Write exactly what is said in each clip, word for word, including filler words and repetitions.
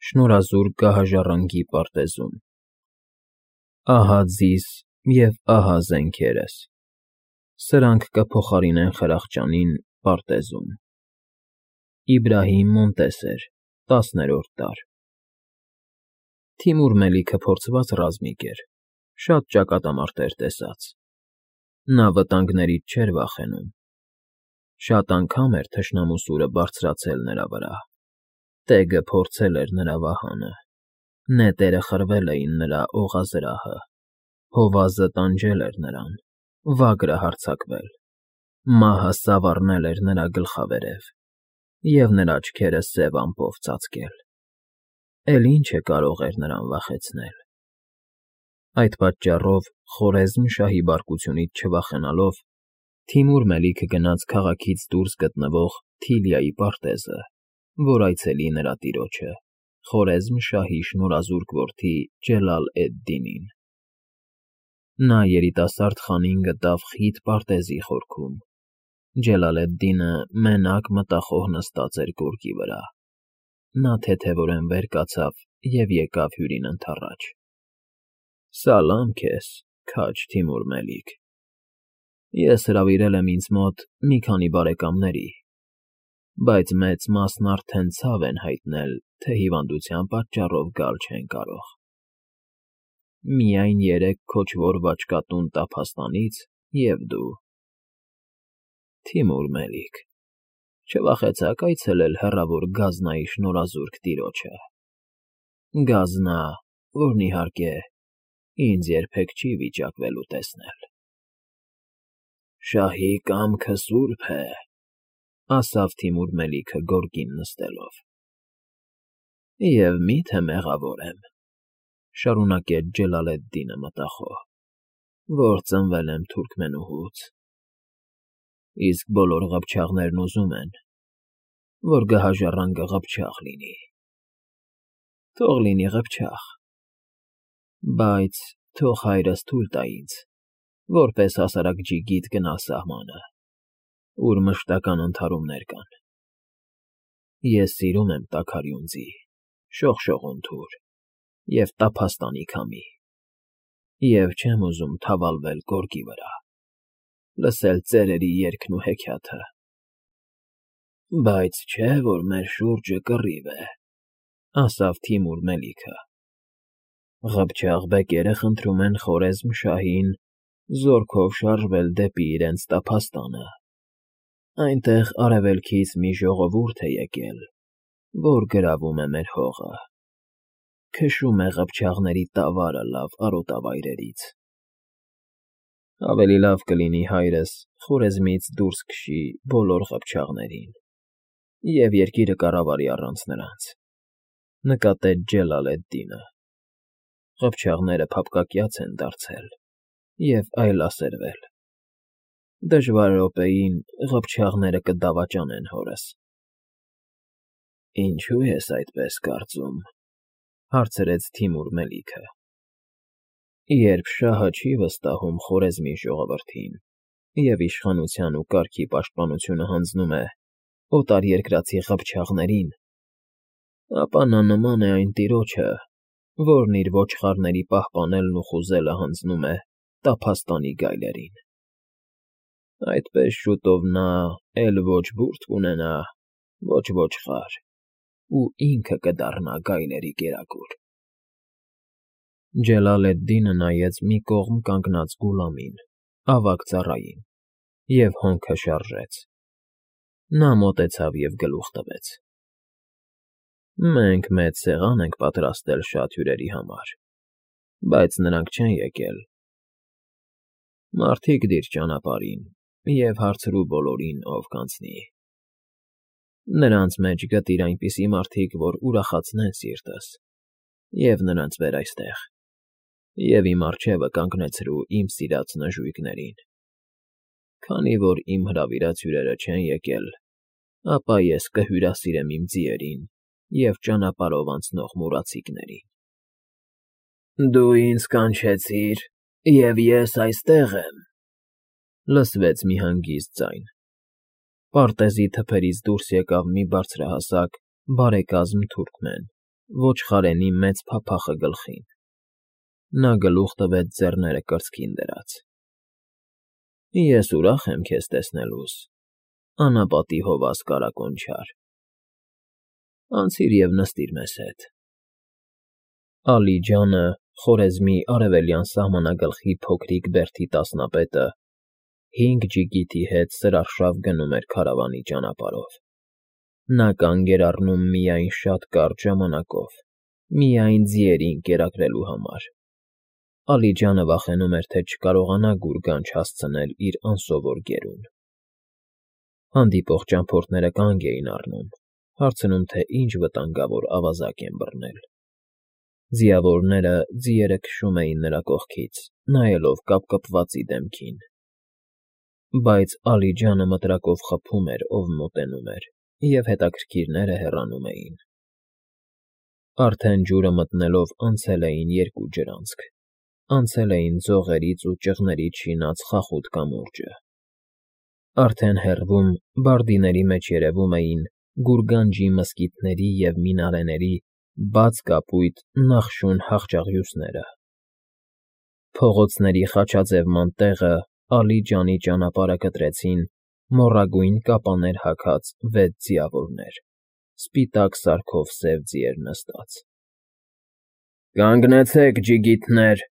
Շնորհազուրկ գահաժառանգի պարտեզում։ Ահա ձիս և ահա զենքերս, սրանք կփոխարինեն Խրախճանին պարտեզում։ Իբրահիմ Մոնտեսեր, տասներորդ դար։ Թիմուր Մելիքը փորձված ռազմիկ էր, շատ ճակատամարտեր տեսած։ Նա վտանգներից չէր վախենում։ Շատ անգամ էր թշնամու սուրը բարձրացել նրա վրա, տեգը փորձել էր նրա վահանը, նետերը խրվել էին նրա օղազրահը, հովազը տանջել էր նրան, վագրը հարձակվել, մահը սավառնել էր նրա գլխավերև, և նրա աչքերը սև ամպով ծածկել։ Էլ ի՞նչ է կարող էր նրան վախեցնել։ Այդ պատճառով, Խորեզմ շահի բարկությունից չվախենալով, Թիմուր Մելիքը գնաց քաղաքից դուրս գտնվող Թիլիայի պարտեզը, որ այցելի նրա տիրոջը, Խորեզմ շահի շնորհազուրկ որդի Ջելալ֊էդ֊Դինին։ Նա երիտասարդ խանին գտավ խիտ պարտեզի խորքում։ Ջելալ֊էդ֊Դինը մենակ մտախոհ նստած էր գորգի վրա։ Նա թեթևորեն վեր կացավ և եկավ հյուրին ընդառաջ։ Սալամ քեզ, քաջ Թիմուր Մելիք, ես հրավիրել եմ ինձ մոտ մի քանի բարեկամների, բայց մեծ մասն արդեն ցավ են հայտնել, թե հիվանդության պատճառով գալ չեն կարող։ Միայն երեք քոչվոր վաճկատուն տափաստանից և դու։ Թիմուր Մելիք, չվախեցաք այցելել հեռավոր Գազնայի շնորհազուրկ տիրոջը։ Գազնա, որն, իհարկե, ինձ երբեք չի վիճակվելու տեսնել։ Շահի կամքը սուրբ է, ասավ Թիմուր Մելիքը գորգին նստելով։ Եվ մի՞թե մեղավոր եմ, շարունակեց Ջելալ֊էդ֊Դինը մտախոհ, որ ծնվել եմ թուրքմենուհուց, իսկ բոլոր ղփչաղներն ուզում են, որ գահաժառանգը ղփչաղ լինի։ Թող լինի ղփչաղ, բայց թող հայրս թույլ տա ինձ, որպես հասարակ ջիգիտ գնալ սահմանը, ուր մշտական ընդհարումներ կան։ Ես սիրում եմ տաքարյուն ձի, շողշողուն թուր և տափաստանի քամի, և չեմ ուզում թավալվել գորգի վրա, լսել ծերերի երգն ու հեքիաթը։ Բայց չէ՞ որ մեր շուրջը կռիվ է, ասավ Թիմուր Մելիքը։ Ղփչաղ բեկերը խնդրում են Խորեզմ շահին զորքով շարժվել դեպի իրենց տափաստանը։ Այնտեղ արևելքից մի ժողովուրդ է եկել, որ գրավում է մեր հողը, քշում է ղփչաղների տավարը լավ արոտավայրերից։ Ավելի լավ կլինի հայրս Խորեզմից դուրս քշի բոլոր ղփչաղներին և երկիրը կառավարի առանց նրանց, նկատեց Ջելալ֊էդ֊Դինը։ Ղփչաղները փափկակյաց են դարձել և այլասերվել։ Դժվար րոպեին ղփչաղները կդավաճանեն հորս։ Ինչո՞ւ ես այդպես կարծում, հարցրեց Թիմուր Մելիքը։ Երբ շահը չի վստահում Խորեզմի ժողովրդին և իշխանության ու կարգի պաշտպանությունը հանձնում է օտարերկրացի ղփչաղներին, ապա նա նման է այն տիրոջը, որն իր ոչխարների պահպանելն ու խուզելը հանձնում է տափաստանի գայլերին։ Այդպես շուտով նա էլ ոչ բուրդ կունենա, ոչ ոչխար, ու ինքը կդառնա գայլերի կերակուր։ Ջելալ֊էդ֊Դինը նայեց մի կողմ կանգնած Գուլամին, ավագ ծառային, և հոնքը շարժեց։ Նա մոտեցավ և գլուխ տվեց. Մենք մեծ սեղան ենք պատրաստել շատ հյուրերի համար, բայց նրանք չեն եկել։ Մարդիկ դիր ճանապարհին և հարցրու բոլորին, ով կանցնի։ Նրանց մեջ գտիր այնպիսի մարդիկ, որ ուրախացնեն սիրտս, և նրանց բեր այստեղ, և իմ առջևը կանգնեցրու իմ սիրած նժույգներին։ Քանի որ իմ հրավիրած հյուրերը չեն եկել, ապա ես կհյուրասիրեմ իմ ձիերին և ճանապարհով անցնող մուրացիկներին։ Դու ինձ կանչեցիր, և ես այստեղ եմ, լսվեց մի հանգիստ ձայն։ Պարտեզի թփերից դուրս եկավ մի բարձրահասակ, բարեկազմ թուրքմեն, ոչխարենի մեծ փափախը գլխին։ Նա գլուխ տվեց ձեռները կրծքին դրած։ Ես ուրախ եմ քեզ տեսնելուս, անապատի հովաս կարակոնչար։ Անցիր և նստիր մեզ հետ։ Ալիջանը, Խորեզմի արևելյան սահմանագլխի փոքրիկ բերդի տասնապետը, հինգ ջիգիթի հետ սրարշավ գնում էր քարավանի ճանապարհով։ Նա կանգ էր առնում միայն շատ կարճ ժամանակով, միայն ձիերին կերակրելու համար։ Ալիջանը վախենում էր, թե չկարողանա գուրգանջ հասցնել իր անսովոր գերուն։ Հանդիպող ճամփորդները կանգ էին առնում, հարցնում, թե ինչ վտանգավոր ավազակ են բռնել։ Ձիավորները ձիերը քշում էին նրա կողքից, նայելով կապկպվածի դեմքին։ Բայց Ալիջանը մտրակով խփում էր, ով մոտենում էր, և հետաքրքիրները հեռանում էին։ Արդեն ջուրը մտնելով անցել էին երկու ջրանցք, անցել էին ձողերից ու ճղներից շինած խախուտ կամուրջը։ Արդեն հեռվում, բարդիների մեջ երևում էին գուրգանջի մզկիթների և մինարեների բաց կապույտ նախշուն հախճաղյուծները։ Փողոցների խաչաձևման տեղը Ալիջանի ճանապարհը կտրեցին մոռագույն կապաներ հագած վեց ձիավորներ, սպիտակ սարքով սև ձիեր նստած։ Կանգնեցեք, ջիգիթներ…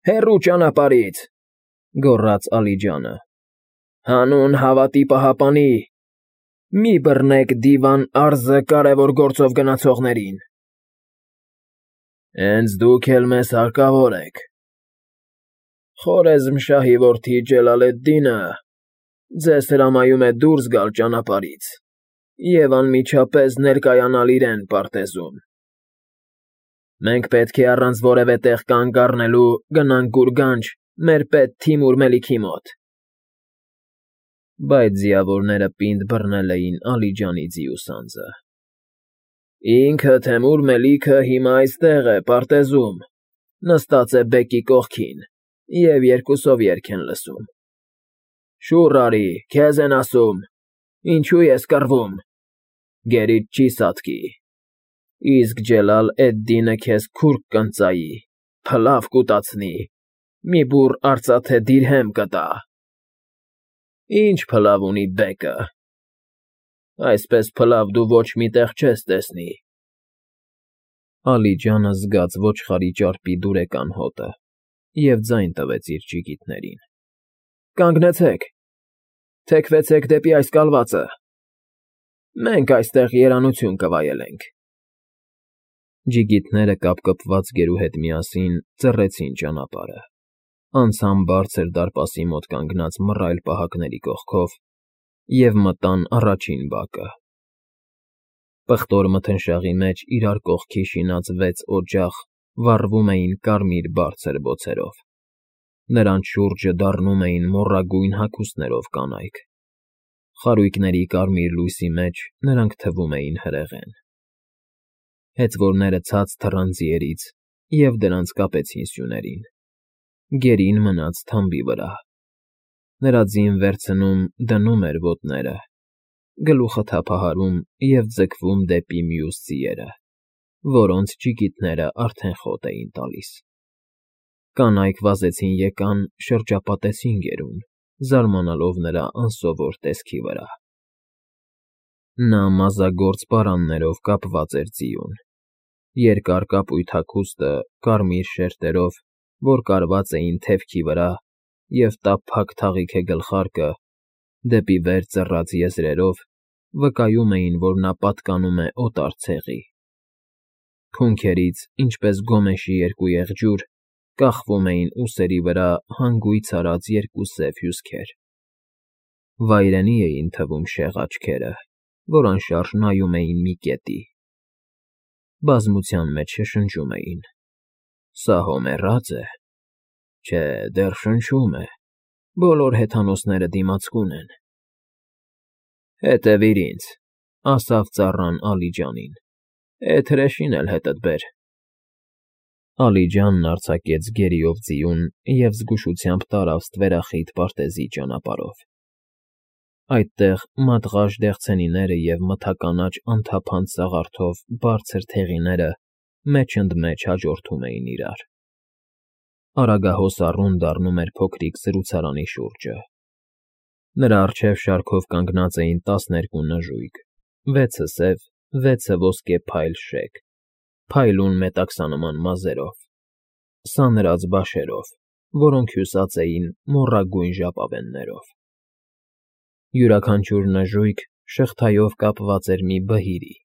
Հեռու ճանապարհից,֊ գոռաց Ալիջանը։ Հանուն հավատի պահապանի, մի բռնեք դիվան արձը կարևոր գործով գնացողներին։ Հենց դուք էլ մեզ հարկավոր եք։ Խորեզմշահի որդի Ջելալեդդինը ձեզ հրամայում է դուրս գալ ճանապարհից և անմիջապես ներկայանալ իրեն պարտեզում։ Մենք պետք է առանց որևէ տեղ կանգ առնելու գնանք գուրգանջ մեր պետ Թիմուր Մելիքի մոտ։ Բայց ձիավորները պինդ բռնել էին Ալիջանի ձիուսանձը։ Ինքը Թեմուր Մելիքը հիմա այստեղ է, պարտեզում, նստած է բեկի կողքին և երկուսով երգ են լսում։ Շուռ արի, քեզ են ասում, ինչու ես կռվում, գերիդ չի սատկի, իսկ Ջելալ֊էդ֊Դինը քեզ քուրկ կընծայի, փլավ կուտացնի, մի բուռ արծաթե դիրհեմ կտա։ Ինչ փլավ ունի բեկը, այսպես փլավ դու ոչ մի տեղ չես տեսնի։ Ալիջանը զգաց ոչխարի ճարպի դուրեկան հոտը և ձայն տվեց իր ջիգիթներին։ Կանգնեցեք, թեքվեցեք դեպի այս կալվածը, մենք այստեղ երանություն կվայելենք։ Ջիգիթները կապկպված գերու հետ միասին ծռեցին ճանապարհը, անցան բարձր դարպասի մոտ կանգնած մռայլ պահակների կողքով և մտան առաջին բակը։ Պղտոր մթնշաղի մեջ իրար կողքի շինած վեց օջախ վառվում էին կարմիր բարձր բոցերով։ Նրանց շուրջը դառնում էին մոռագույն հագուստներով կանայք։ Խարույկների կարմիր լույսի մեջ նրանք թվում էին հրեղեն։ Հեծվորները ցած թռան ձիերից և դրանց կապեցին սյուներին։ Գերին մնաց թամբի վրա։ Նրա ձին վերցնում, դնում էր ոտները, գլուխը թափահարում և ձգվում դեպի մյուս ձիերը, որոնց ջիգիթները արդեն խոտ էին տալիս։ Կանայք վազեցին եկան, շրջապատեցին գերուն, զարմանալով նրա անսովոր տեսքի վրա։ Նա մազագործ պարաններով կապված էր ձիուն։ Երկար կապույտ հագուստը կարմիր շերտերով, որ կարված էին թևքի վրա, և տափակ թաղիքը գլխարկը, դեպի վեր ծռած եզրերով, վկայում էին, որ նա պատկանում է օտար ցեղի։ Քունքերից, ինչպես գոմեշի երկու եղջյուր, կախվում էին ուսերի վրա հանգույց արած երկու սև հյուսքեր։ Վայրենի էին թվում շեղ աչքերը, որ անշարժ նայում էին մի կետի։ Բազմության մեջ շշնջում էին. Սա հո մեռա՞ծ է։ Չէ, դեռ շնչում է, բոլոր հեթանոսները դիմացկուն են։ Հետևիր ինձ, ասավ ծառան Ալիջանին, էդ հրեշին էլ հետդ բեր։ Ալիջանն արձակեց գերիով ձիուն և զգուշությամբ տարավ ստվերախիտ պարտեզի ճանապարհով։ Այդտեղ մատղաշ դեղցենիները և մթականաչ անթափանց սաղարթով բարձր թեղիները մեջ ընդ մեջ հաջորդում էին իրար։ Արագահոս առուն դառնում էր փոքրիկ զրուցարանի շուրջը։ Նրա առջև շարքով կանգնած էին տասներկու նժույգ, վեցը սև, վեցը ոսկե փայլ շեկ, փայլուն մետաքսանման մազերով, սանրած բաշերով, որոնք հյուսած էին մոռագույն ժապավեններով։ Յուրաքանչյուր նժույգ շղթայով կապված էր մի բհիրի։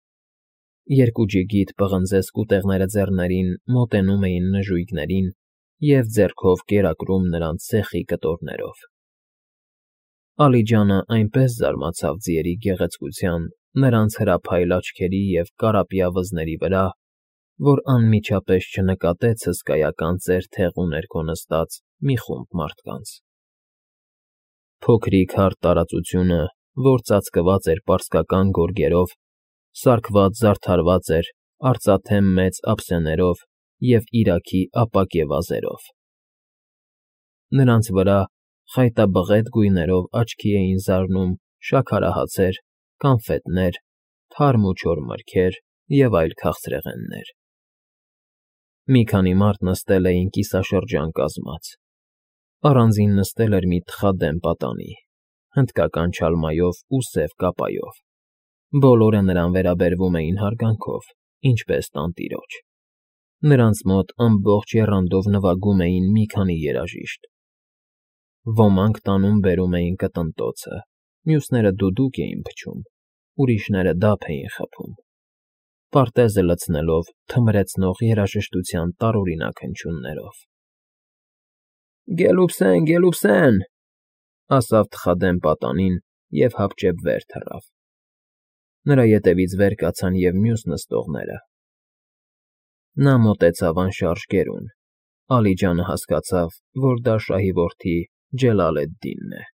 Երկու ջիգիտ պղնձե սկուտեղները ձեռներին մոտենում էին նժույգներին և ձեռքով կերակրում նրանց ցեխի կտորներով։ Ալիջանը այնպես զարմացավ ձիերի գեղեցկության, նրանց հրափայլ աչքերի և կարապյա վզների վրա, որ անմիջապես չնկատեց հսկայական ծեր թեղու ներքո նստած մի խումբ մարդկանց։ Փոքրիկ հարթ տարածությունը, որ ծածկված էր պարսկական գորգերով, սարքված զարդարված էր արծաթե մեծ ափսեներով և իրաքի ապակե վազերով։ Նրանց վրա խայտաբղետ գույներով աչքի էին զարնում շաքարահացեր, կանֆետներ, թարմ ու չոր մրգեր և այլ քաղցրեղեններ։ Մի քանի մարդ նստել էին կիսաշրջան կազմած։ Առանձին նստել էր մի թխադեմ պատանի, հնդկական չալմայով ու սև կապայով։ Բոլորը նրան վերաբերվում էին հարգանքով, ինչպես տանտիրոջ։ Նրանց մոտ ամբողջ եռանդով նվագում էին մի քանի երաժիշտ։ Ոմանք տանում֊բերում էին կտնտոցը, մյուսները դուդուկ էին փչում, ուրիշները դափ էին խփում, պարտեզը լցնելով թմրեցնող երաժշտության տարօրինակ հնչյուններով։ ֊ Գելուպսեն, գելուպսեն,֊ ասավ թխադեմ պատանին և հապճեպ վեր թռավ։ Նրա ետևից վեր կացան և մյուս նստողները։ Նա մոտեցավ անշարժ գերուն։ Ալիջանը հասկացավ, որ դա շահի որդի Ջելալ֊եդ֊Դինն է։